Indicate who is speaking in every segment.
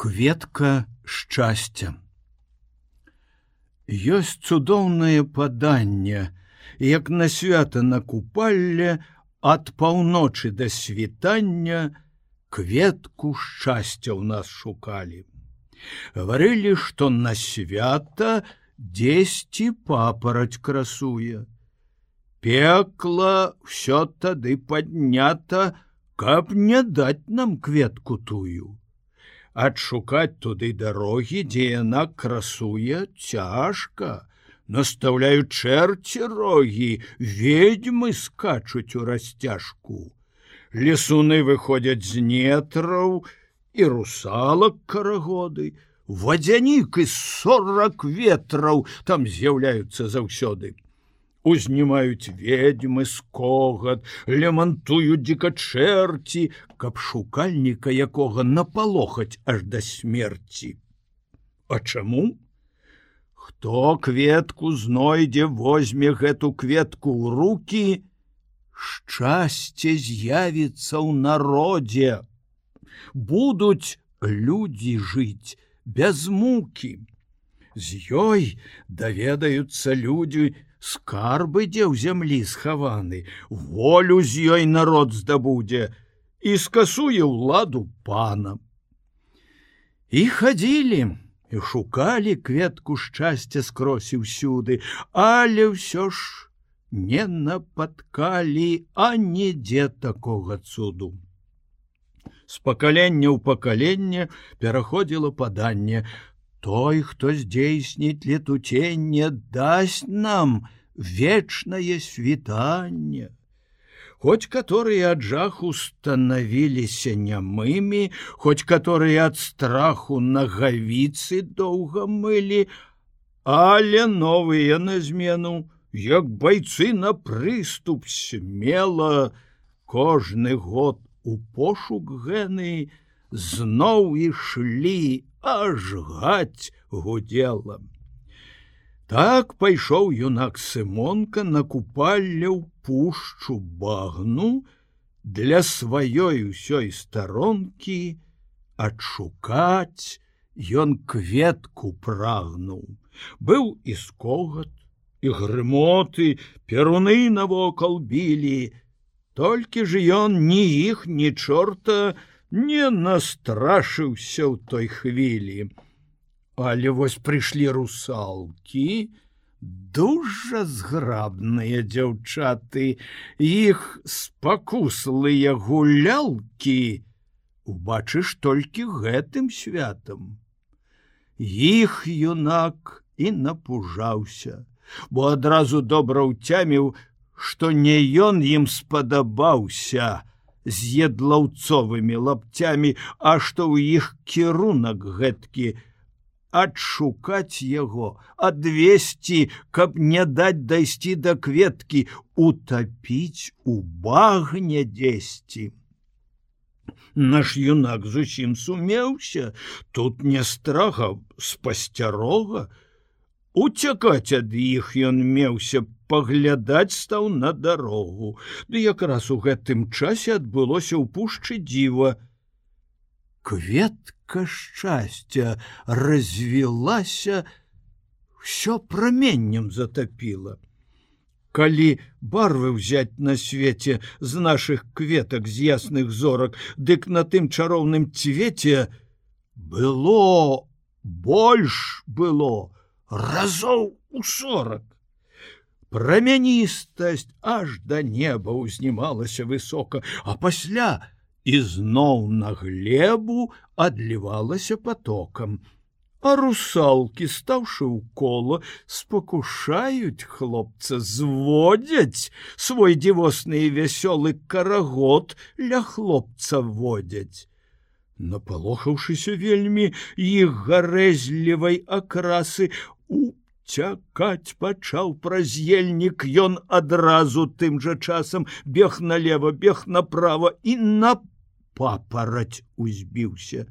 Speaker 1: Кветка шчасця. Ёсць цудоўнае паданне, як на свята на купалле ад паўночы да світання кветку шчасця ў нас шукалі. Гаварылі, што на свята дзесьці папараць красуе. Пекла ўсё тады паднята, каб не даць нам кветку тую. Адшукаць туды дарогі, дзе яна красуе, цяжка. Настаўляюць чэрці рогі, ведьмы скачуць у расцяжку. Лесуны выходзяць з нетраў і русалак карагоды. Вадзянік і 40 ветраў там з'яўляюцца заўсёды. Узнімаюць ведьмы скогат, лямантуюць дзікачэрці, каб шукальніка якога напалохаць аж да смерці. А чаму? Хто кветку знойдзе, возьме гэту кветку ў рукі, шчасце з'явіцца ў народзе. Будуць людзі жыць без мукі. З ёй даведаюцца людзі, скарбы дзе ў зямлі схаваны, волю з ёй народ здабудзе і скасуе ўладу пана. І хадзілі, і шукалі кветку шчасця скрозь і ўсюды, але ўсё ж не напаткалі анідзе такога цуду. З пакалення ў пакаленне пераходзіла паданне: той, хто здзейсніць летуценне, дасць нам вечнае світанне. Хоць каторыя ад жаху станавіліся нямымі, хоць каторыя ад страху нагавіцы доўга мылі, але новыя на змену, як байцы на прыступ смела, кожны год у пошук гэны зноў ішлі, аж гаць гудзела. Так пайшоў юнак Сымонка на купалле ў пушчу багну, для сваёй усёй старонкі адшукаць ён кветку прагнуў. Быў і скогат, і грымоты, перуны навокал білі, толькі ж ён ні іх, ні чорта не настрашыўся ў той хвілі. Але вось прыйшлі русалкі, дужа зграбныя дзяўчаты, іх спакуслыя гулялкі убачыш толькі гэтым святам. Іх юнак і напужаўся, бо адразу добра ўцяміў, што не ён ім спадабаўся з едлаўцовымі лапцямі, а што ў іх кірунак гэткі адшукаць яго, адвесці, каб не даць дайсці да кветкі, утапіць у багне дзесьці. Наш юнак зусім сумеўся, тут не страха, спасцярога. Уцякаць ад іх ён меўся, паглядаць стаў на дарогу. Ды якраз у гэтым часе адбылося ў пушчы дзіва. Кветка шчасця развілася, ўсё праменнем затапіла. Калі барвы ўзяць на свеце з нашых кветак, з ясных зорак, дык на тым чароўным цвеце было, больш было, разоў у 40. Прамяністасць аж да неба ўзнімалася высока, а пасля ізноў на глебу адлівалася потокам. А русалкі, стаўшы ў кола, спакушаюць хлопца, зводзяць свой дзівосны і вясёлы карагод ля хлопца водзяць. Напалохаўшыся вельмі іх гарэзлівай акрасы, уцякаць пачаў праз ельнік ён адразу тым жа часам, бег налева, бег направа і на папараць узбіўся.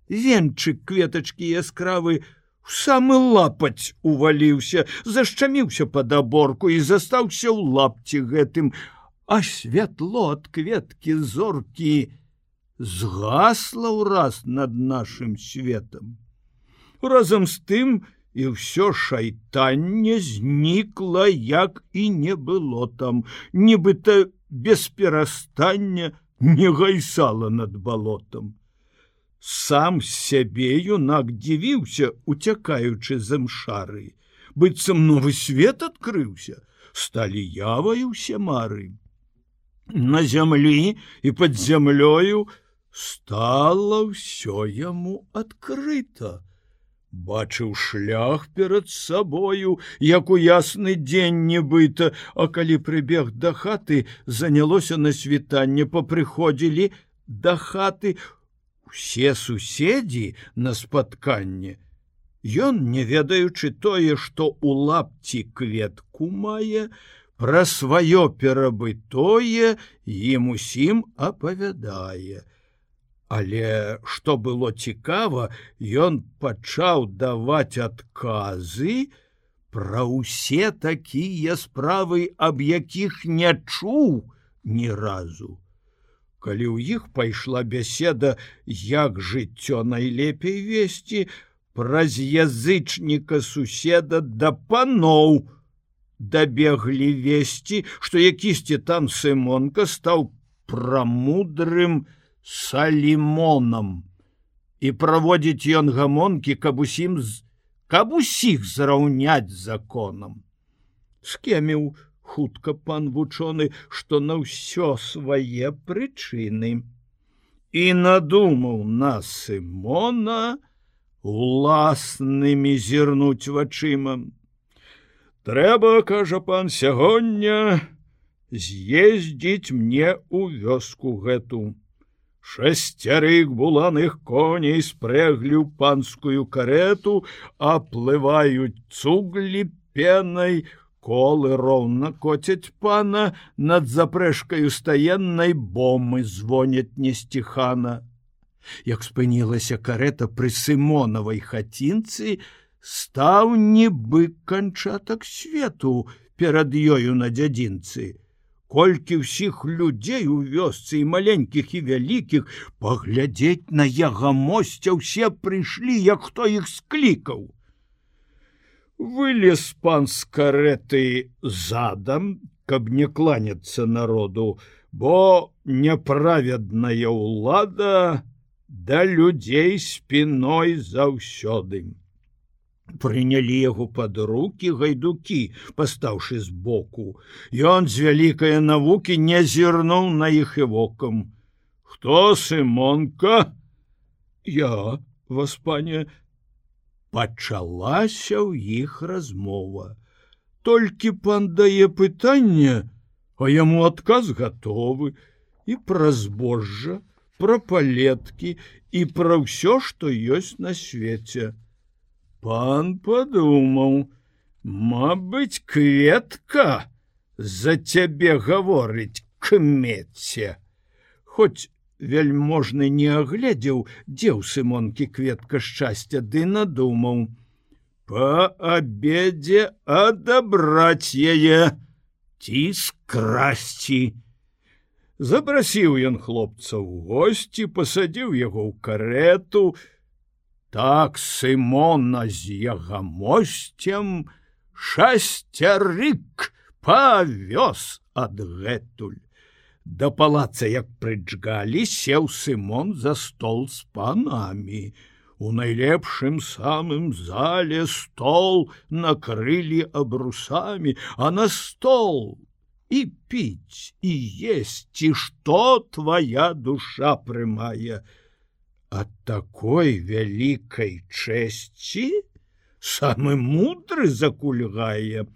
Speaker 1: Венчык кветачкі яскравы у самы лапаць уваліўся, зашчаміўся пад аборку і застаўся ў лапці гэтым, а святло ад кветкі зоркі згасла ўраз над нашым светам. Разам з тым і ўсё шайтанне знікла, як і не было там, нібыта без перастання не гайсала над балотам. Сам сябе юнак дзівіўся, уцякаючы з імшары. Быццам новы свет адкрыўся, сталі явай усе мары. На зямлі і пад зямлёю стала ўсё яму адкрыта. Бачыў шлях перад сабою, як у ясны дзень нібыта, а калі прыбег да хаты, занялося на світанне, папрыходзілі да хаты усе суседзі на спатканне. Ён, не ведаючы тое, што ў лапці кветку мае, пра сваё перабытое ім усім апавядае. Але што было цікава, ён пачаў даваць адказы пра ўсе такія справы, аб якіх не чуў ні разу. Калі ў іх пайшла бяседа, як жыццё найлепей весці, праз язычніка суседа да паноў дабеглі весці, што якісьці там Сымонка стаў прамудрым Салімонам, і праводзіць ён гамонкі, каб усіх зраўняць законам. Скеміў хутка пан вучоны, што на ўсё свае прычыны, і надумаў на Сымона уласнымі зірнуць вачыма. Трэба, кажа пан, сягоння з'ездзіць мне ў вёску гэту. 6 буланых коней спрэглі ў панскую карету, аплываюць цуглі пенай, колы роўна коцяць пана, над запрэжкаю стаеннай бомы звоняць несціхана. Як спынілася карета пры Сымонавай хацінцы, стаў нібы канчатак свету перад ёю на дзядзінцы. Колькі ўсіх людзей у вёсцы, і маленькіх, і вялікіх, паглядзець на ягамосця ўсе прыйшлі, як хто іх склікаў. Вылез пан з карэты задам, каб не кланяцца народу, бо няправедная ўлада да людзей спіной заўсёды. Прынялі яго пад рукі гайдукі, пастаўшы збоку. Ён з вялікае навукі не зірнуў на іх і вокам. Хто Сымонка? Я, вас, пане. Пачалася ў іх размова. Толькі пан дае пытанне, а яму адказ гатовы. І пра збожжа, пра палеткі, і пра ўсё, што ёсць на свеце. Пан падумаў, мабыць, кветка за цябе гаворыць, кмеце. Хоць вельможны не агледзеў, дзе ў Сымонкі кветка шчасця, ды надумаў. Па абедзе адабраць яе ці скрасці. Запрасіў ён хлопца ў госці, пасадзіў яго ў карету. Так Сымона з ягамосцем 6 павёз адгэтуль. Да палаца, як прыджгалі, сеў Сымон за стол з панамі. У найлепшым самым зале стол накрылі абрусамі, а на стол і піць, і есці, што твая душа прымае. Ад такой вялікай чэсці самы мудры закульгае.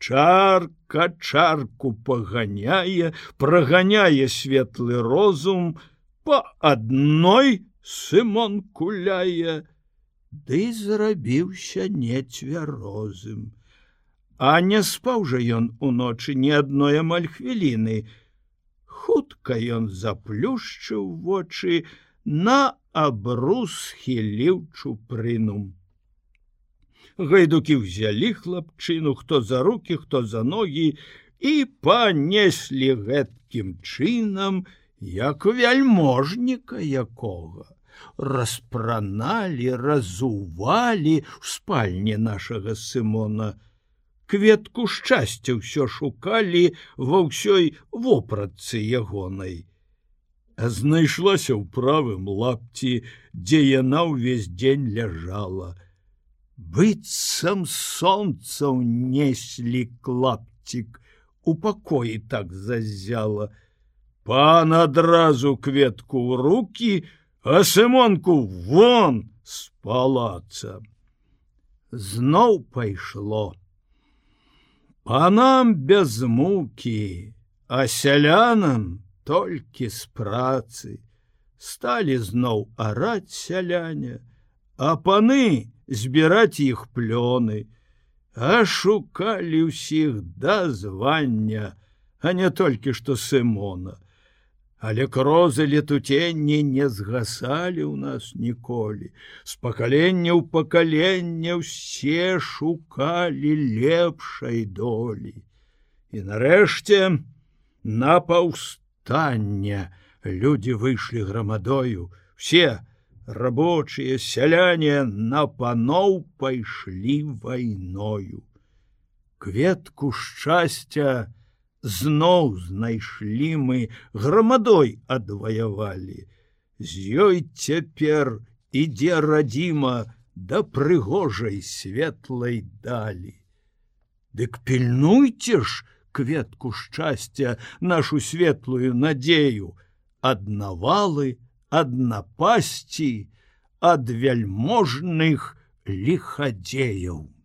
Speaker 1: Чарка чарку паганяе, праганяе светлы розум, па адной Сымон куляе, ды зрабіўся нецвярозым. А не спаў жа ён уночы ні адной амаль хвіліны. Хутка ён заплюшчыў вочы, на абрус схіліў чупрыну. Гайдукі ўзялі хлапчыну, хто за рукі, хто за ногі, і панеслі гэткім чынам як вяльможніка якога. Распраналі, разувалі ў спальні нашага Сымона. Кветку шчасця ўсё шукалі ва ўсёй вопратцы ягонай. А знайшлася ў правым лапці, дзе яна ўвесь дзень ляжала. Быццам сонца ўнеслі клапцік, у пакоі так заззяла. Пан адразу кветку ў рукі, а Сымонку вон з палаца. Зноў пайшло. Панам без мукі, а сялянам толькі з працы. Сталі зноў араць сяляне, а паны збіраць іх плёны, а шукалі ўсіх да звання, а не толькі што Сымона. Але крозы летуценні не згасалі ў нас ніколі. З пакалення ў пакаленне ўсе шукалі лепшай долі. І нарэшце на паўстанне людзі выйшлі грамадою. Все рабочыя, сяляне на паноў пайшлі вайною. Кветку шчасця зноў знайшлі мы, грамадой адваявалі. З ёй цяпер ідзе радзіма да прыгожай светлай далі. Дык пільнуйце ж кветку шчасця, нашу светлую надзею, ад навалы, ад напасці, ад вяльможных ліхадзеяў.